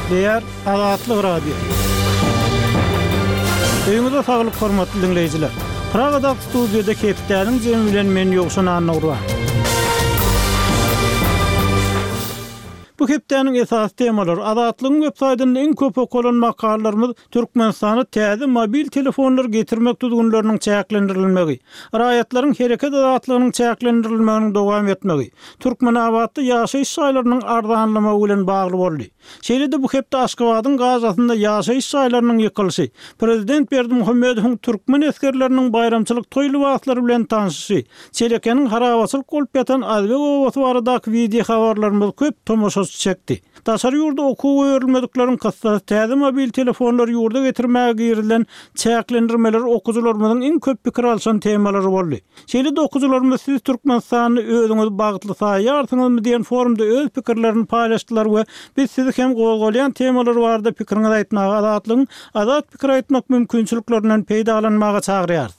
Gepleýär Azatlyk Radiosy. Öýüňize saglyk hormatly diňleýjiler. Pragadaky studiýada hepdäniň jemi bilen men Ýowşan Annagurban. Bu hepdäniň esasy temalary Azatlygyň web saýtynda iň köp okalan makalalarymyz Türkmenistana täze mobil telefonlary getirmek düzgünleriniň çäklendirilmegi, raýatlaryň hereket azatlygynyň çäklendirilmeginiň dowam etmegi, Türkmenabatda ýaşaýyş jaýlarynyň arzanlamagy bilen bagly boldy. Şeýle-de bu hepde Aşgabadyň Gazasynda ýaşaýyş jaýlarynyň ýykylyşy, prezident Berdimuhamedowyň türkmen esgerleriniň baýramçylyk toý lybaslary bilen tanşyşy, Çelekeniň harabaçylyk bolup ýatan Azbeg obasy baradaky wideohabarlarymyz köp tomaşaçy çekdi. Daşary ýurda okuwa goýberilmedikleriň kyssasy täze mobil telefonlary ýurda getirmäge girizilen çäklendirmeler okyjylarymyzyň iň köp pikir alşan temalary boldy. Şeýle-de okyjylarymyz siz Türkmenistanda özüňizi bagtly saýýarsyňyzmy diýen forumda öz pikirlerini paýlaşdylar we biz sizi hem gozgalýan temalar barada pikiriňizi aýtmaga Azatlygyň azat pikir aýtmak mümkinçiliklerinden peýdalanmaga çagyrýarys.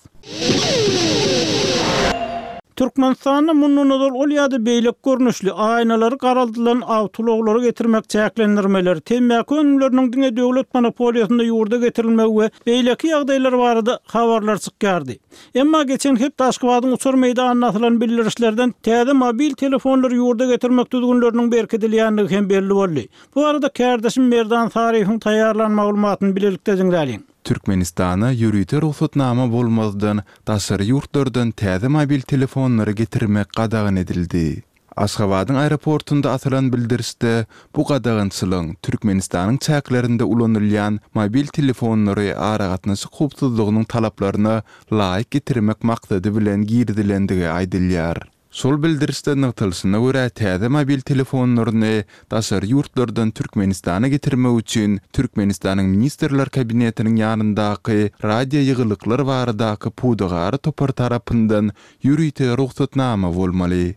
Türkmenistanda mundan ozal ol ýa-da beýleki görnüşli, aýnalary garaldylan awtoulaglary getirmek çäklendirmeleri, temmäki önümleriniň diňe döwlet monopoliýasynda ýurda getirilmegi we beýleki ýagdaýlar barada habarlar çykýardy. Emma geçen hepde Aşgabadyň uçar meýdanynda asylan bildirişlerden täze mobil telefonlary ýurda getirmek düzgünleriniň berkidilýändigi hem belli boldy. Bu barada kärdeşim Merdan Saryýewiň taýýarlan maglumatyny bilelikde diňläliň. Türkmenistana ýörite rugsatnama bolmazdan daşary ýurtlardan täze mobil telefonlary getirmek gadagan edildi. Aşgabadyň aeroportunda asylan bildirişde bu gadagançylygyň Türkmenistanyň çäklerinde ulanylýan mobil telefonlary aragatnaşyk howpsuzlygynyň talaplaryna laýyk getirmek maksady bilen girizilendigi aýdylýar. Şol bildirişde nygtalyşyna görä, täze mobil telefonlaryny daşary ýurtlardan Türkmenistana getirmek üçin Türkmenistanyň Ministrler Kabinetiniň ýanyndaky Radioýygylyklar baradaky pudagara topar tarapyndan ýörite rugsatnama bolmaly.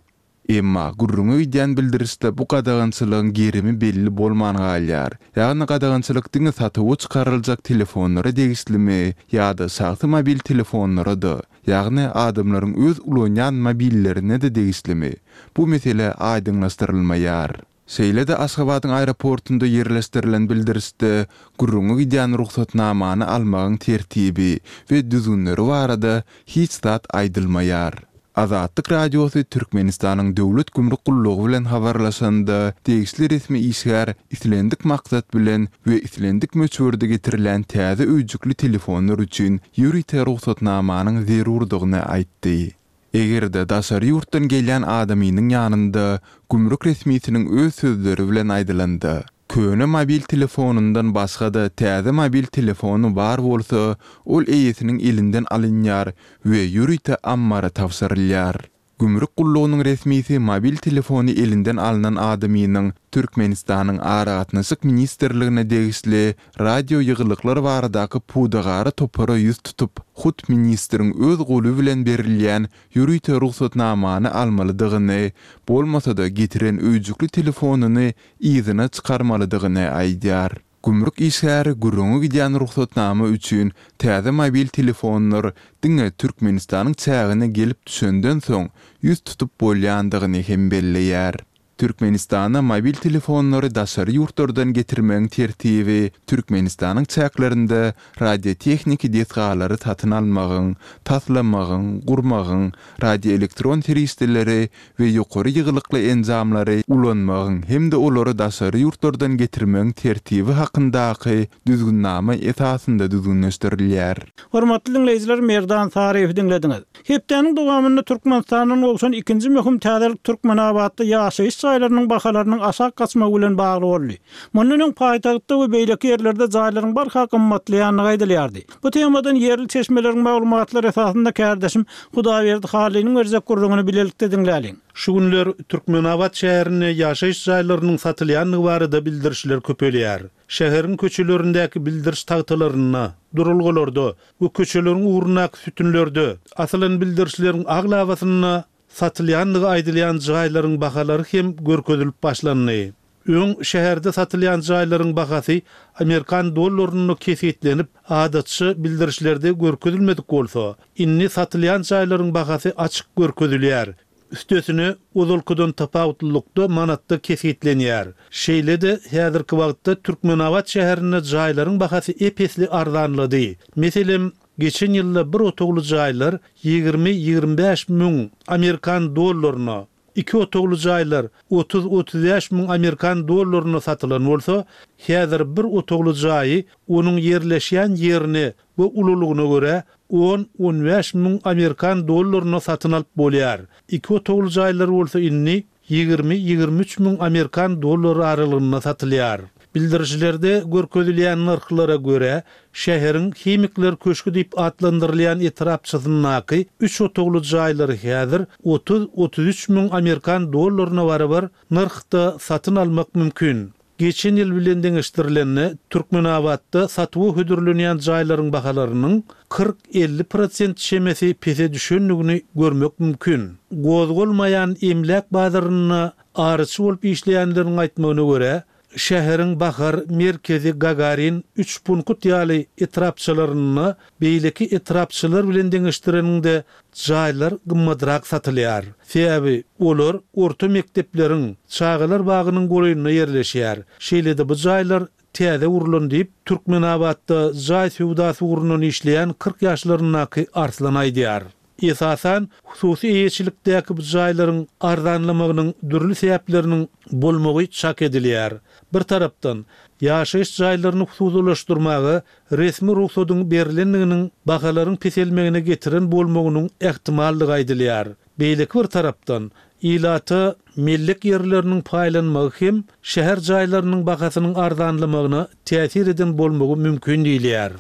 Emma gürrüňi gidýän bildirişde bu gadagançylygyň gerimi belli bolman galýar. Ýagny gadagançylyk diňe satuwa çykaryljak telefonlara degişlimi ýa-da şahsy mobil telefonlara-da, Ýagny adamlaryň öz ulanýan mobillerine-de degişlimi? Bu mesele aýdyňlaşdyrylmaýar. Şeýle-de Aşgabadyň aeroportunda ýerleşdirilen bildirişde gürrüňi gidýän rugsatnamany almagyň tertibi we düzgünleri barada hiç zat aýdylmaýar. Azatlyk Radiosy Türkmenistanyň Döwlet gümrük gullugy bilen habarlaşanda, degişli resmi işgär islendik maksat bilen we islendik möçberde getirilýän täze öýjükli telefonlar üçin ýörite rugsatnamanyň zerurdygyny aýtdy. Eger-de daşary ýurtdan gelýän adamynyň ýanynda gümrük resmisiniň öz sözleri bilen aýdylanda, köne mobil telefonyndan başga-da täze mobil telefony bar bolsa, ol eýesiniň elinden alynýar we ýörite ammara tabşyrylýar. Gümrük gullugynyň resmisi mobil telefony elinden alnan adamynyň Türkmenistanyň Aragatnaşyk ministrligine degişli radioýygylyklar baradaky pudagara topara ýüz tutup, hut ministriň öz goly bilen berilýän ýörite rugsatnamany almalydygyny, bolmasa-da getiren öýjükli telefonyny yzyna çykarmalydygyny aýdýar. Gümrük işgäri gürrüňi gidýän rugsatnama üçin täze mobil telefonlar diňe Türkmenistanyň çägine gelip düşenden soň ýüz tutup bolýandygyny hem belleýär. Türkmenistana mobil telefonlary daşary ýurtlardan getirmegiň tertibi Türkmenistanyň çäklerinde radiotehniki desgalary satyn almagyň, taslamagyň, gurmagyň, radioelektron serişdeleri we ýokary ýygylykly enjamlary ulanmagyň hem-de olary daşary ýurtlardan getirmegiň tertibi hakyndaky Düzgünnama esasynda düzgünleşdirilýär. Hormatly diňleýjiler Merdan Saryýewi diňlediňiz. Hepdäniň dowamynda Türkmenistandan gowşan ikinji möhüm täzelik Türkmenabatda ýaşaýyş jaýlarynyň bahalarynyň aşak gaçmagy bilen bagly boldy. Mundan öň paýtagtda we beýleki ýerlerde jaýlaryň barha gymmatlaýandygy aýdylýardy. Bu temadan ýerli çeşmeleriň maglumatlary esasynda kärdeşim Hudaýberdi Hallynyň berjek gürrüňini bilelikde diňläliň. Şu günler Türkmenabat şäherinde ýaşaýyş jaýlarynyň satylýandygy barada bildirişler köpelýär. Şäheriň köçelerindäki bildiriş tagtalarynda, duralgalarda we köçeleriň ugrundaky sütünlerde asylan bildirişleriň aglabasynda satylýandygy aýdylýan jaýlaryň bahalary hem görkezilip başlandy. Öň şäherde satylýan jaýlaryň bahasy amerikan dollarynda kesgitlenip, adatça bildirişlerde görkezilmedik bolsa, indi satylýan jaýlaryň bahasy açyk görkezilýär. Üstesine, ozalkydan tapawutlylykda manatda kesgitlenýär. Şeýle-de, häzirki wagtda Türkmenabat şäherinde jaýlaryň bahasy ep-esli arzanlady. Meselem, geçen ýylda bir otagly jaýlar 20-25 müň amerikan dollaryna, iki otagly jaýlar 30-35 müň amerikan dollaryna satylan bolsa, häzir bir otagly jaýy onuň ýerleşýän ýerine we ululygyna görä on-on bäş müň amerikan dollaryna satyn alyp bolýar. Iki otagly jaýlar bolsa indi 20-23 müň amerikan dollary aralygynda satylýar. Bildirişlerde görkezilýän nyrhlara görä, şäheriň Himikler köşgi diýip atlandyrylýan etrapçasyndaky üç otagly jaýlary häzir 30-33 müň amerikan dollaryna barabar nyrhda satyn almak mümkin. Geçen ýyl bilen deňeşdirilende, Türkmenabatda satuwa hödürlenýän jaýlaryň bahalarynyň 40-50 prosent çemesi pese düşendigini görmek mümkin. Gozgalmaýan emläk bazarynda araçy bolup işleýänleriň aýtmagyna görä, şäheriň Bahar, Merkezi, Gagarin, Üçpunkt ýaly etrapçalarynda beýleki etrapçalar bilen deňeşdireniňde jaýlar gymmadrak satylýar. Sebäbi olar orta mekdepleriň, çagalar bagynyň golaýynda ýerleşýär. Şeýle-de bu jaýlar täze gurlan diýip, Türkmenabatda jaý söwdasy ugrundan işleýän 40 ýaşlaryndaky Arslan aýdýar. Esasan, hususy eýeçilikdäki bu jaýlaryň arzanlamagynyň dürli sebäpleriniň bolmagy çak edilýär. Bir tarapdan, ýaşaýyş jaýlaryny hususylaşdyrmaga resmi rugsadyň berlendiginiň bahalaryň peselmegine getiren bolmagynyň ähtimaldygy aýdylýar. Beýleki bir tarapdan, ilata mellek ýerleriniň paýlanmagy hem şäher jaýlarynyň bahasynyň arzanlamagyna täsir eden bolmagy mümkin diýilýär.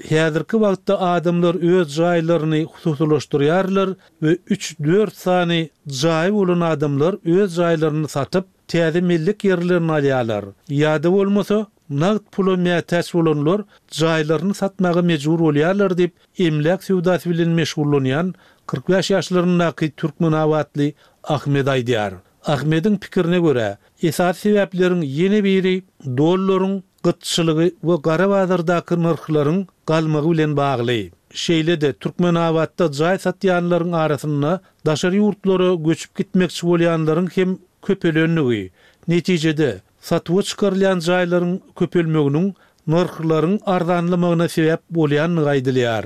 Häzirki wagtda adamlar öz jaýlaryny hususylaşdyrýarlar we üç-dört sany jaýy bolan adamlar öz jaýlaryny satyp, täze mellek ýerlerini alýarlar. Ýa-da bolmasa, nagt pula mätäç bolanlar jaýlaryny satmaga mejbur bolýarlar diýip, emläk söwdasy bilen meşgullanýan 45 ýaşlaryndaky türkmenabatly Ahmet aýdýar. Ahmediň pikirine görä, esasy sebäpleriň ýene biri dollaryň gytçylygy we gara bazardaky nyrhlaryň galmagy bilen bagly. Şeýle-de, Türkmenabatda jaý satýanlaryň arasynda daşary ýurtlara göçüp gitmekçi bolýanlaryň hem köpelendigi, netijede, satuwa çykarylýan jaýlaryň köpelmeginiň nyrhlaryň arzanlamagyna sebäp bolýandygy aýdylýar.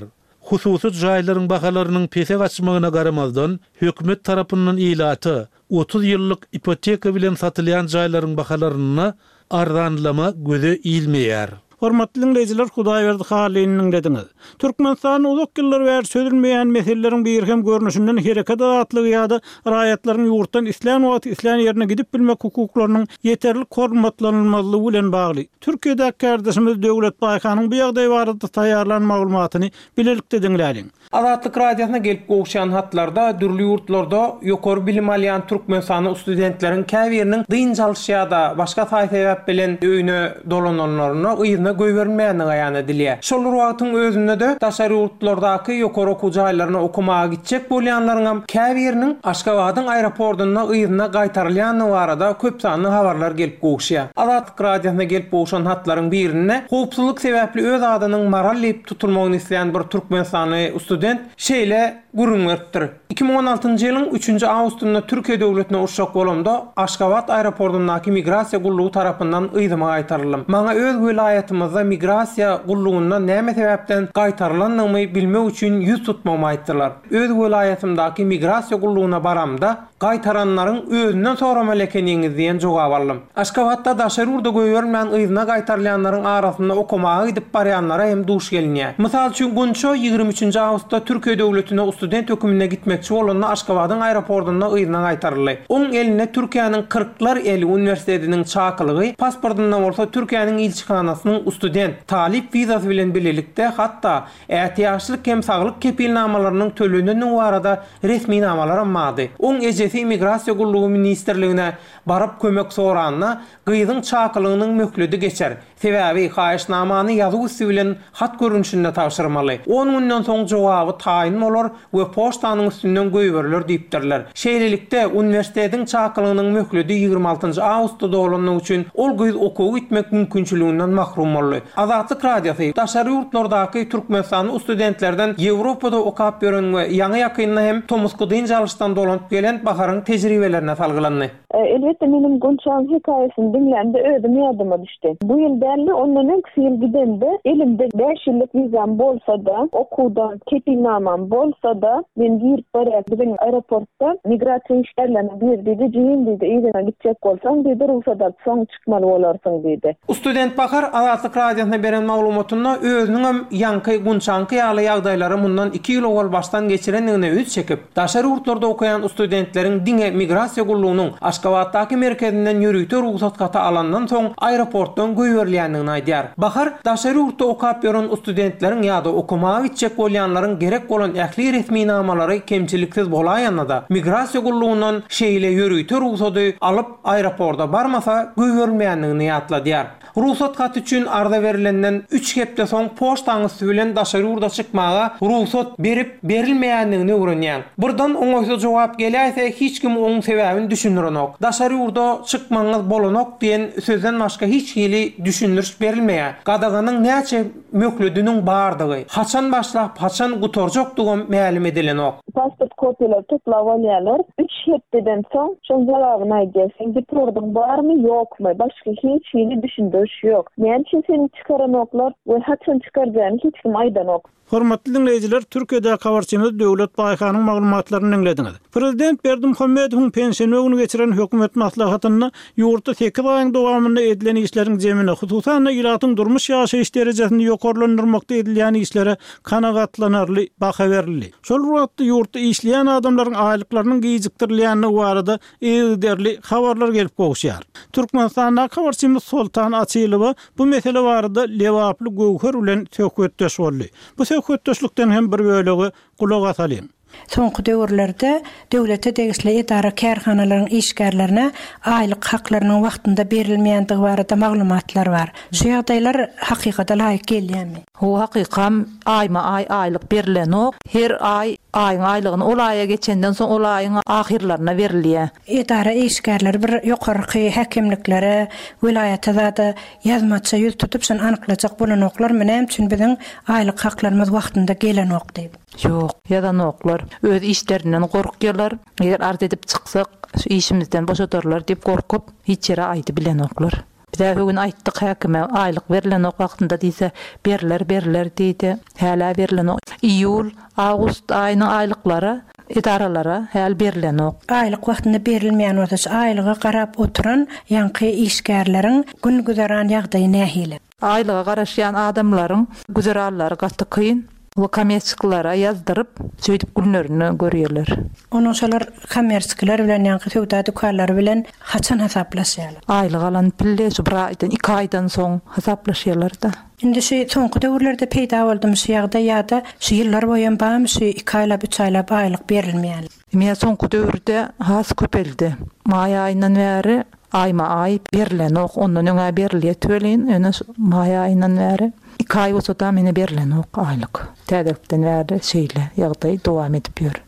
Hususy jaýlaryň bahalarynyň pese gaçmagyna garamazdan, hökümet tarapyndan ilata 30 ýyllyk ipoteka bilen satylýan jaýlaryň bahalarynda arzanlama göze ilmeýär. Hormatly diňleýjiler Hudaýberdi Hallyny diňlediňiz. Türkmenistanda uzak ýyllar bäri çözülmeýän meseleleriň biri hem görnüşinden hereket azatlygy ýa-da raýatlaryň ýurtdan islän wagty islän ýerine gidip bilmek hukuklarynyň ýeterlik hormatlanylmazlygy bilen bagly. Türkiýedäki kärdeşimiz Döwlet Baýhanyň bu ýagdaý barada taýýarlan maglumatyny bilelikde diňläliň. Azatlyk Radiosyna gelip gowuşýan hatlarda dürli ýurtlarda ýokary bilim alýan türkmenistanly studentleriň käbiriniň dynç alyş ýa-da başga saý-sebäp bilen öýüne dolananlarynda yzyna goýberilmeýändigi aýan edilýär. Şol bir wagtyň özünde-de daşary ýurtlardaky ýokary okuw jaýlaryna okamaga gitjek bolýanlaryňam käbiriniň Aşgabadyň aeroportunda yzyna gaýtarylýandygy barada köpsanly habarlar gelip gowuşýar. Azatlyk Radiosyna gelip gowşan hatlaryň birinde howpsuzlyk sebäpli öz adynyň Maral diýip tutulmagyny islän bir türkmenistanly student şeýle gürrüň beripdir, 2016-njy ýylyň üçünji awgustynda Türkiýe döwletine uçjak bolamda, Aşgabat aeroportyndaky migrasiýa gullugy tarapyndan yzyma gaýtaryldym. Maňa öz welaýatymyzda migrasiýa gullugyndan näme sebäpden gaýtarylandygymy bilmek üçin ýüz tutmagymy aýtdylar. Öz welaýatymdaky migrasiýa gullugyna baramda, Gaýtaranlaryň özünden soramaly ekeniňiz diýen jogap aldym. Aşgabatda daşary ýurda goýberilmän yzyna gaýtarylýanlaryň arasynda okamaga gidip barýanlara hem duş gelinýär. Mysal üçin Gunça 23-nji awgustda Türkiýe döwletine student höküminde gitmekçi bolanda Aşgabadyň aeroportynda yzyna gaýtaryldy. Oň elinde Türkiýäniň Kyrklar eli uniwersitetiniň çakylygy, pasportynda bolsa Türkiýäniň ilçihanasynyň student, talyp wizasy bilen bilelikde hatda Ätiýaçlyk hem saglyk kepilnamalarynyň tölenendigi barada resminamalaram bardy. Oň ejesi Immigrasiýa gullugy ministrligine baryp kömek soranda, gyzyň çakylygynyň möhledi geçer. Sebäbi haýyşnamany ýazuw üsti bilen hat görnüşinde tabşyrmaly. On günden soň jogaby. jogaby taýyn bolar we poçtanyň üstünden goýberiler diýipdirler. Şeýlelikde, uniwersitetiň çakylygynyň möhledi 26 njy awgustda dolandygy üçin ol gyz okuwa gitmek mümkinçiliginden mahrum boldy. Azatlyk Radiosy, Daşary ýurtlardaky türkmenistanly studentlerden Ýewropada okap ýören we ýaňy-ýakynda hem tomusky dynç alyşdan dolanyp gelen Baharyň tejribelerine salgylandy. Elbetde menem Gunçaň hekaýasyny diňlämde özüm ýadyma düşdi. Bu ýyl däldi, ondan öňküsi ýyl gidemde elimde bäş ýyllyk wizam bolsa-da, okuwdan kepilnamam bolsa-da, men girip barýas biziň aeroportda migrasiýa işgärleriniň biri diýdi, jigim diýdi, yzyňa gitjek bolsaň diýdi, rugsat alyp soň çykmaly bolarsyň diýdi. Student Bahar Azatlyk Radiosyna beren maglumatynda özüniňem ýaňky Gunçaňky ýaly ýagdaýlary mundan iki ýyl owal başdan geçirendigine üns çekip, Daşary ýurtlarda okaýan studentleriň diňe Migrasiýa gullugynyň Aşgabatdaky merkezinden ýörite rugsat haty alandan soň aeroportdan goýberilýändigini aýdýar. Bahar, daşary ýurtda okap ýören studentleriň ýa-da okamaga gitjek bolýanlaryň gerek bolan ähli resminamalary kemçiliksiz bolaýanda-da, Migrasiýa gullugyndan şeýle ýörite rugsady alyp aeroporta barmasa goýberilmeýändigini ýatladýar. Rugsat haty üçin arza berilenden üç hepde soň poçtaň üsti bilen daşary ýurda çykmaga rugsat berip berilmeýändigini öwrenýäň. Birden oňaýsyz jogap geläýse hiç kim oň sebäbini düşündirenok. Daşary ýurda çykmagyňyz bolanok diýen sözden başga hiç hili düşündiriş berilmeýär. Gadaganyň näçe möhlediniň bardygy, haçan başlap haçan gutarjakdygam mälim edilenok. Pasport kopiýalary toplap alýarlar. Üç hepdeden soň şoň jogabyny aýdýar. Seň depordyň barmy, ýokmy? Başga hiç hili düşündiriş ýok. Näme üçin seni çykaranoklar we haçan çykarjagyny hiç kim aýdanok. Hormatly diňleýjiler, Türkiýedäki habarçymyz Döwlet Baýhanyň maglumatlaryny diňlediňiz. Prezident Berdimuhamedowyň penşenbe güni geçiren hökümet maslahatynda ýurtda sekiz aýyň dowamynda edilen işleriň jemine, hususan-da, ilatyň durmuş-ýaşaýyş derejesini ýokarlandyrmakda edilýän işlere kanagatlanarly baha berildi. Şol bir wagtda, ýurtda işleýän adamlaryň aýlyklarynyň gijikdirilýändigi barada yzygiderli habarlar gelip gowuşýar. Türkmenistandaky habarçymyz Soltan Açylowa bu mesele barada lebaply Göwher bilen söhbetdeş boldy. Bu söhbetdeşlikden hem bir bölegi gulak asalyň. Soňky döwürlerde döwlete degişli edara-kärhanalaryň işgärlerine aýlyk haklarynyň wagtynda berilmeýändigi barada maglumatlar bar. Şu ýagdaýlar hakykata laýyk gelýärmi? Hawa hakykam aýma-aý aýlyk berilenok. Her aý aýyň aýlygyny ol aýa geçenden soň ol aýyň ahyrlaryna berilýär. Edara işgärleri bir ýokarky häkimliklere, welaýata zada ýazmaça ýüz tutup şony anyklajak bolanoklarmy näme üçin biziň aýlyk haklarymyz wagtynda gelenok diýip. Ýok, ýazanoklar. Öz işlerinden gorkýarlar. Eger arz edip çyksak, şu işimizden boşadarlar diýip gorkup, hiç ýere aýdybilenoklar. Biz-ä bu gün aýtdyk häkime, aýlyk berlenok wagtynda diýse, berler, berler diýdi. Hälä berlenok. Iýul, awgust aýynyň aýlyklary edaralara häli berlenok. Aýlyk wagtynda berilmeýän bolsa, şu aýlyga garap oturan ýaňky işgärleriň gün-güzeran ýagdaýy nähili? Aýlyga garaşýan adamlaryň güzeranlary gaty kyn we kommerçiklere ýazdyryp, şeýdip günlerini görýärler. Onuň şolar kommerçikiler bilen ýaňky söwda dükanlary bilen haçan hasaplaşýarlar? Aýlyk alan pille şu bir aýdan, iki aýdan soň hasaplaşýarlar-da. Indi şu soňky döwürlerde peýda boldumy şu ýagdaý ýa-da şu ýyllar boýam barmy şu iki aýlap, üç aýlap aýlyk berilmeýän? Ine soňky döwürde has köpeldi. Maý aýyndan bäri aýma-aý berlenok. Ondan öň-ä berilýärdi welin, ýöne şu maý aýyndan bäri iki aý bolsa-da ine berlenok aýlyk. Täzelikden bäri şeýle ýagdaý dowam edip ýör.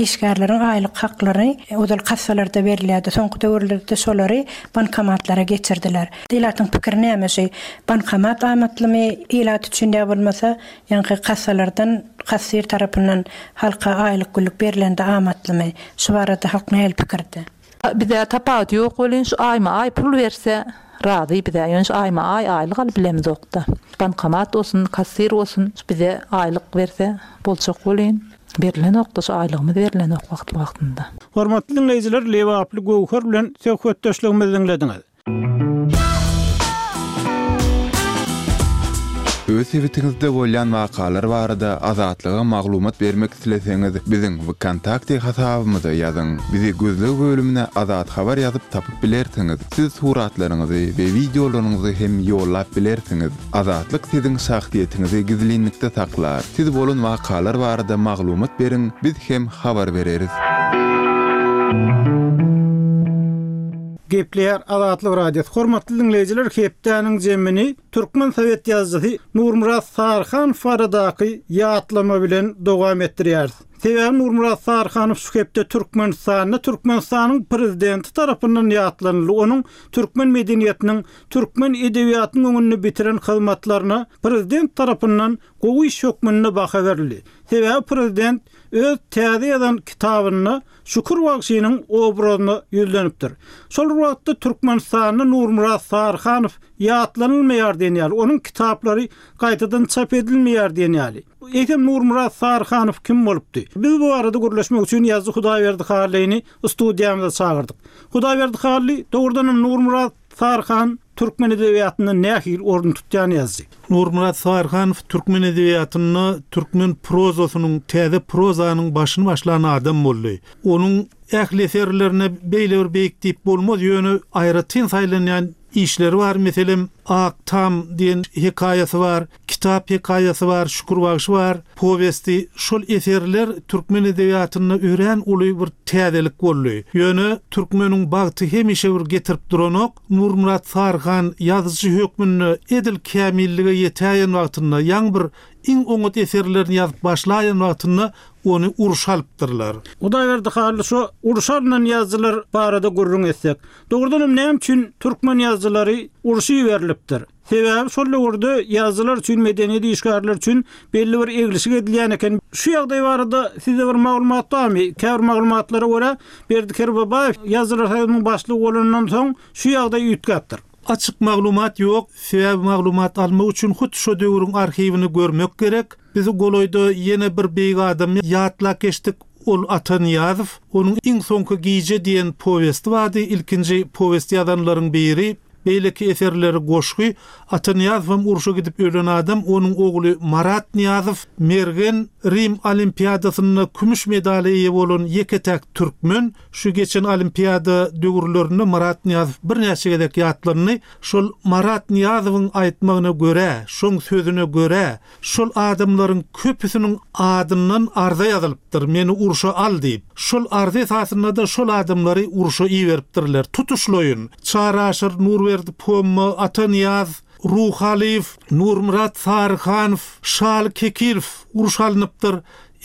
Işgärleriň aýlyk haklary ozal kassalarda berilýärdi. Soňky döwürlerde şolary bankomatlara geçirdiler. Ilatyň pikiri näme şu bankomat amatlymy ilat üçin ýa bolmasa Ýaňky kassalardan kassir tarapyndan halka aýlyk-günlük berlende amatlymy? Şu barada halk nähili pikirde? Bizä tapawudy ýok welin şu aýma-aý pul berse razy bizä ýöne şu aýma-aý aýlyk alyp bilemizokda. Bankomat bolsun kassir bolsun şu bize aýlyk berse boljak welin berilenokda şu aýlygymyz berilenok wagtly-wagtynda. Hormatly diňleýjiler Lebaply Göwher bilen söhbetdeşligimizi diňlediňiz. Öz sebitiňizde bolýan wakalar barada Azatlyga maglumat bermek isleseňiz, biziň Wkontakte hasabymyza ýazyň. Bizi gözleg bölümine Azat Habar ýazyp tapyp bilersiňiz. Siz suratlaryňyzy we wideolaryňyzy hem ýollap bilersiňiz. Azatlyk siziň şahsyýetiňizi gizlinlikde saklar. Siz bolan wakalar barada maglumat beriň, biz hem habar bereris. Gepleýär Azatlyk Radiosy. Hormatly diňleýjiler, hepdäniň jemini türkmen sowet ýazyjysy Nurmyrat Saryhanow baradaky ýatlama bilen dowam etdirýäris. Sebäbi Nurmyrat Saryhanow şu hepde Türkmenistanda Türkmenistanyň Prezidenti tarapyndan ýatlanyldy. Onuň türkmen medeniýetiniň, türkmen edebiýatynyň öňünde bitiren hyzmatlaryna Prezident tarapyndan gowy iş hökmünde baha berildi. Sebäbi Prezident öz täze ýazan kitabynda Şükür bagşynyň obrazyna ýüzlenipdir. Şol bir wagtda Türkmenistanda Nurmyrat Saryhanow ýatlanylmaýar diýen ýaly, onuň kitaplary gaýtadan çap edilmeýär diýen ýaly. Eýsem Nurmyrat Saryhanow kim bolupdy? Biz bu barada gürleşmek üçin ýazyjy Hudaýberdi Hallyny studiýamyza çagyrdyk. Hudaýberdi Hally, dogrudanam Nurmyrat Saryhan türkmen edebiýatynda nähili orun tutýan ýazyjy? Nurmyrat Saryhanow türkmen edebiýatynda türkmen prozasynyň, täze prozanyň başyny başlan adam boldy. Onuň ähli eserlerine beýle bir beýik diýip bolmaz, ýöne aýratyn saýlanýan işleri bar, meselem, Ak tam diýen hekaýasy bar, Kitap hekaýasy bar, Şükür bagşy bar powesti. Şol eserler türkmen edebiýatynda örän uly bir täzelik boldy. Ýöne türkmeniň bagty hemişe bir getirip duranok. Nurmyrat Saryhan ýazyjy hökmünde edil kämillige ýetäýen wagtynda, ýaňy bir iň oňat eserlerini ýazyp başlaýan wagtynda ony urşa alypdyrlar. Hudaýberdi Hally şo urşa alnan ýazyjylar barada gürrüň etsek. Dogrudanam näme üçin türkmen ýazyjylary urşa iberilipdir? Sebäbi şol döwürde ýazyjylar üçin, medeniýet işgärleri üçin belli bir eglişik edilýän eken. Şu ýagdaý barada sizde bir maglumat barmy? Käbir maglumatlara görä, Berdi Kerbabaýew Ýazyjylar soýuzynyň başlygy bolandan soň şu ýagdaý üýtgäpdir. Açyk maglumat ýok. Sebäbi maglumat almak üçin hut şo döwrüň arhiwini görmek gerek. Biz golaýda ýene bir beýik adamy ýatlap geçdik. Ol Ata Nyýazow. Onuň Iň soňky gije diýen powesti bardy. Ilkinji powest ýazanlaryň biri. Beýleki eserleri goşgy. Ata Nyýazowam urşa gidip ölen adam, onuň ogly Marat Nyýazow mergen, Rim Olimpiadasynda kümüş medala eýe bolan ýeke-täk türkmen. Şu geçen Olimpiada döwürlerinde Marat Nyýazow birnäçe gezek ýatlandy. Şol Marat Nyýazowyň aýtmagyna görä, şoň sözüne görä, Şol adamlaryň köpüsiniň adyndan arza ýazylypdyr, meni urşa al diýip. Şol arza esasynda-da şol adamlary urşa iberipdirler. Tutuşlaýyn, Çary Aşyr, Nurberdi Pomma, Ata Nyýaz, Ruhalyýew, Nurmyrat Saryhanow, Şaly Kekilow urşa alnypdyr.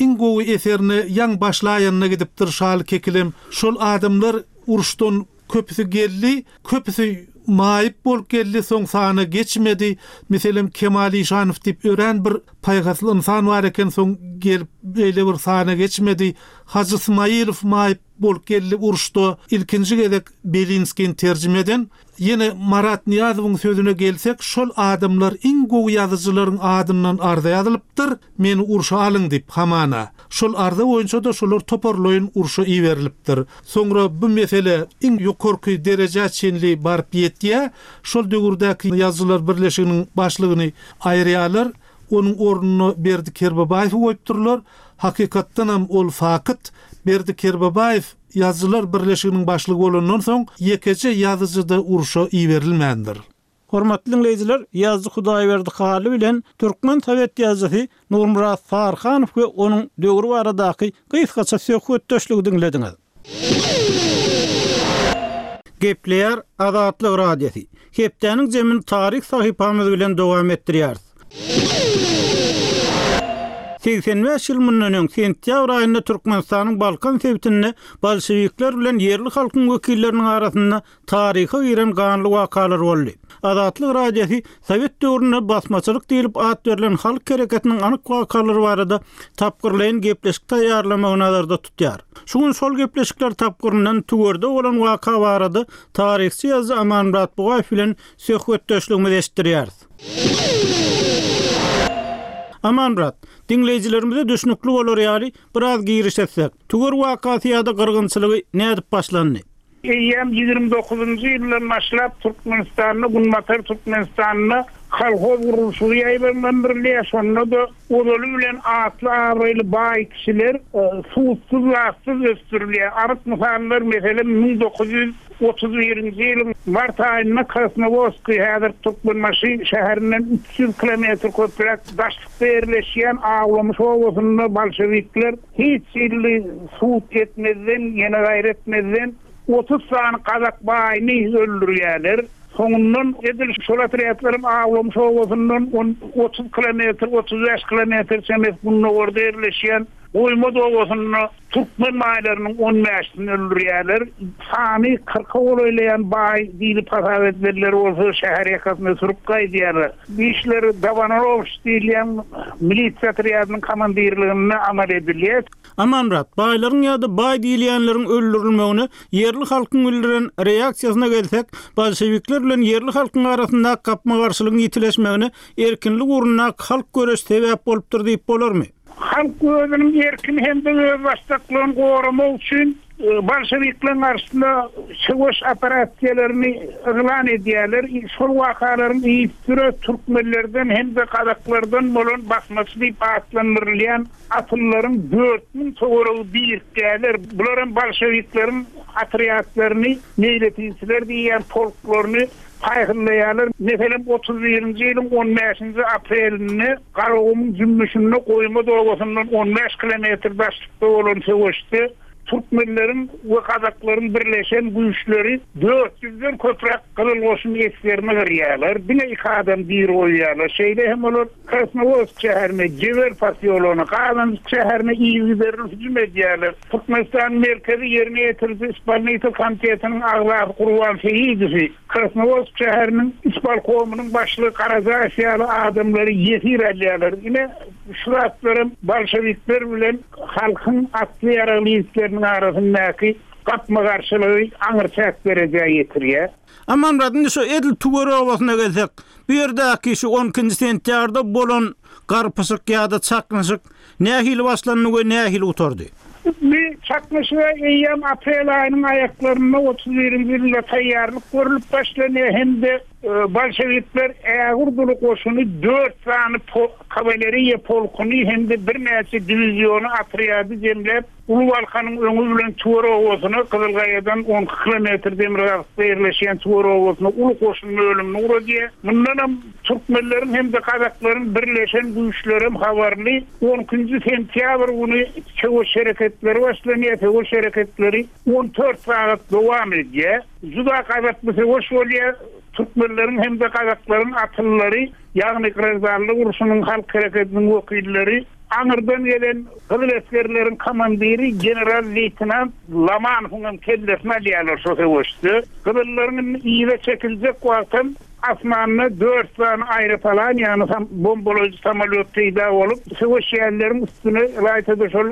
Iň gowy eserine ýaň başlaýanyna gidipdir Şaly Kekilem. Şol adamlar uruşdan Köpüsi geldi, köpüsi maýyp bolup geldi, soň sana geçmedi. Meselem, Kemal Işanow diýip örän bir paýhasly ynsan bar eken, soň gelip beýle bir sana geçmedi. Hajy Smaýylow maýyp bolup geldi uruşda ilkinji gezek Belinskini terjime eden. Ýene Marat Nyýazowyň sözüne gelsek, şol adamlar iň gowy ýazyjylaryň adyndan arza ýazylypdyr, meni urşa alyň diýip, hamana. Şol arza boýunça-da şolar toparlaýyn urşa iberilipdir. Soňra bu mesele iň ýokarky derejä çenli baryp ýetýär. Şol döwürdäki Ýazyjylar birleşiginiň başlygyny aýyrýarlar. Onuň ornuna Berdi Kerbabaýewi goýupdyrlar. Hakykatdanam ol fakyt, Berdi Kerbabaýew Ýazyjylar birleşiginiň başlygy bolandan soň ýekeje ýazyjy-da urşa iberilmändir. Hormatly diňleýjiler, ýazyjy Hudaýberdi Hally bilen türkmen sowet ýazyjysy Nurmyrat Saryhanow we onuň döwri baradaky gysgaça söhbetdeşligi diňlediňiz. Gepleýär Azatlyk Radiosy. Hepdäniň jemini taryh sahypamyz bilen dowam etdirýäris. 85 ýyl mundan öň, sentýabr aýynda Türkmenistanyň Balkan sebitinde bolşewikler bilen ýerli halkyň wekilleriniň arasynda taryha giren ganly wakalar boldy. Azatlyk Radiosy sowet döwründe basmaçylyk diýlip at berlen halk hereketiniň anyk wakalary barada tapgyrlaýyn gepleşik taýýarlamagy nazarda tutýar. Şu gün şol gepleşikler tapgyryndan Tüwerde bolan waka barada taryhçy ýazyjy Amanmyrat Bugaýew bilen söhbetdeşligimizi eşitdirýäris. Amanmyrat, diňleýjilerimize düşnükli bolar ýaly biraz giriş etsek, Tüwer wakasy ýa-da gyrgynçylygy nädip başlandy? Eýýäm 29-njy ýyldan başlap Türkmenistanda, Günbatar Türkmenistanda kolhoz gurluşygy ýaýbaňlandyrylýar. Şonda-da ozaly bilen atly-abraýly baý kişiler sudsuz-zatsyz ösdürilýär. Anyk mysallar, meselem, 1931-nji ýylyň mart aýynda Krasnowodskiý, häzir Türkmenbaşy şäherinden 300 kilometr köpräk daşlykda ýerleşýän Awlamyş obasynda bolşewikler Hiç hili sud etmezden, ýene gaýry etmezden. 30 sany gazak baýyny öldürýärler. Soňundan edil şol otrýadlaryň Awlamyş obasyndan on 30 kilometr, 35 kilometr çemesi gündogarda ýerleşýän Goýmaz obasynda türkmen baýlarynyň on bäşisini öldürýärler. Sany kyrka golaýlaýan baý diýlip hasap edilenleri bolsa şäher ýakasyna sürüp gaýdýarlar. Bu işler Dabanorowiç diýilýän milisiýa otrýadynyň komandirliginde amal edilýär. Amanmyrat, baýlaryň ýa-da baý diýilýänleriň öldürilmegine ýerli halkyň bildiren reaksiýasyna gelsek, bolşewikler bilen ýerli halkyň arasyndaky gapma-garşylygyň ýitileşmegine erkinlik ugrundaky halk göreşi sebäp bolupdyr diýip bolarmy? Halk özüniň erkini hem-de özbaşdaklygyny goramak üçin bolşewikleriň garşysyna söweş operasiýalaryny yglan edýärler. Şol wakalaryň yzysüre türkmenlerden hem-de gazaklardan bolan basmaçy diýip atlandyrylýan atlylaryň 4000 töweregi birikýärler. Bular hem bolşewikleriň otrýadlaryny, meýletinçiler diýýän polklaryny paýhynlaýarlar. Meselem, otuz birinji ýylyň on bäşinji aprelinde Garagumuň jümmüşinde Goýmaz obasyndan on bäş kilometr daşlykda bolan söweşde türkmenleriň we gazaklaryň birleşen güýçleri dört ýüzden köpräk Gyzyl goşun esgerini gyrýarlar, diňe iki adam diri goýýarlar. Şeýle hem olar Krasnowodsk şäherine, Jewer posýologyna, Gazanjyk şäherine yzygiderli hüjüm edýärler. Türkmenistanyň Merkezi ýerine ýetiriji ispolnitel komitetiniň agzasy Gurban Seýidowy, Krasnowodsk şäheriniň ispolkomynyň başlygy Garajaýew ýaly adamlary ýesir alýarlar. Ine, şu zatlaram bolşewikler bilen halkyň atly-ýaragly ýigitleriniň arasyndaky gapma-garşylygy aňryçäk derejä ýetirýär. Amanmyrat, indi şu edil Tüwer obasyna gelsek, bu ýerdäki şu on ikinji sentýabrda bolan garpyşyk ýa-da çaknyşyk nähili başlandy we nähili gutardy? Bu çaknyşyga eýýäm aprel aýynyň aýaklarynda otuz birinji ýylda taýýarlyk görlüp başlanýar hem-de bolşewikler ägirt uly goşuny dört sany kawaleriýa polkuny hem-de birnäçe diwiziony otrýady jemläp, Uly Balkanyň öňi bilen Tüwer obasyna, Gyzylgaýadan on iki kilometr demirgazykda ýerleşýän Tüwer obasyna uly goşun bölümini ugradýar. Mundanam türkmenleriň hem-de gazaklaryň birleşen güýçlerem habarly. On ikinji sentýabr güni söweş hereketleri başlanýar. Söweş hereketleri on dört sagat dowam edýär. Juda gazaply söweş bolýar. Türkmenleriň hem-de gazaklaryň atylylary, ýagny graždanlyk urşunyň halk hereketiniň wekilleri Aňyrdan gelen gyzyl esgerleriň komandiri general-leýtenant Lamanowyň hem kellesini alýarlar şo söweşde. Gyzyllaryň indi yza çekiljek wagtam asmanda dört sany aeropalan, ýagny bombalaýjy samolýot peýda bolup, söweşýänleriň üstüne, ylaýta-da şol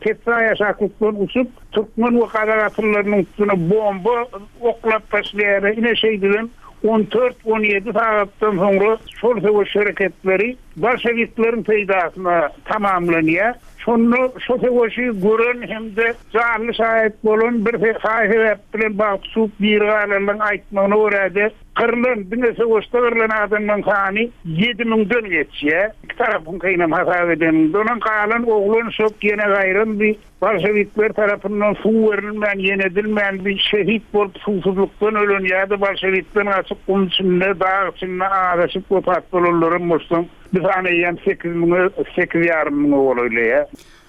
pessaý aşaklykdan uçup, türkmen we gazak atlylarynyň üstüne bomba oklap başlaýarlar. Ine şeýdibem on dört-on ýedi sagatdan soňra şol söweş hereketleri Bolşewikleriň peýdasyna tamamlanýar. Şonda şo söweşi gören hem-de janly şaýat bolan bir saý-sebäp bilen bagty çuwup diri galanlaryň aýtmagyna görä-de, gyrlan, diňe söweşde gyrlan adamlaryň sany ýedi müňden geçýär. Iki tarapyňkynam hasap edeniňde. Ondan galan oglan-uşak ýene gaýrandy. Bolşewikler tarapyndan suw berilmän, ýenedilmän bir şehit bolup suwsuzlykdan ölen ýa-da bolşewikden gaçyp gum içinde, dag içinde azaşyp wepat bolanlaram goşsaň, bu san eýýäm sekiz müňe, sekiz ýarym müňe golaýlaýar.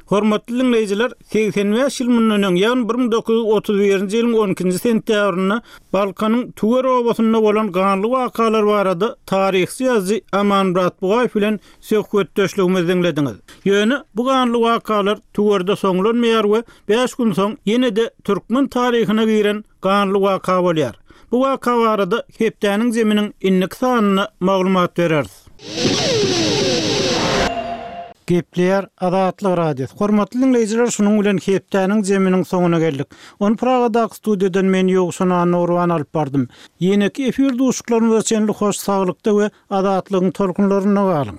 Hormatly diňleýjiler, 85 ýyl mundan öň, ýagny 1931-nji ýylyň on ikinji sentýabrynda Balkanyň Tüwer obasynda bolan ganly wakalar barada taryhçy ýazyjy Amanmyrat Bugaýew bilen söhbetdeşligimizi diňlediňiz. Ýöne bu ganly wakalar Tüwerde soňlanmaýar we bäş gün soň ýene-de türkmen taryhyna giren ganly waka bolýar. Bu waka barada hepdäniň zeminiň indiki sanynda maglumat bereris. Gepleýär Azatlyk Radiosy. Hormatly diňleýjiler şunuň bilen hepdäniň zeminiň soňuna geldik. Ony Pragadaky studiýadan men Ýowşan Annagurban alyp bardym. Ýeneki efir duşuşyklarymyza çenli hoş saglykda we Azatlygyň tolkunlarynda galyň!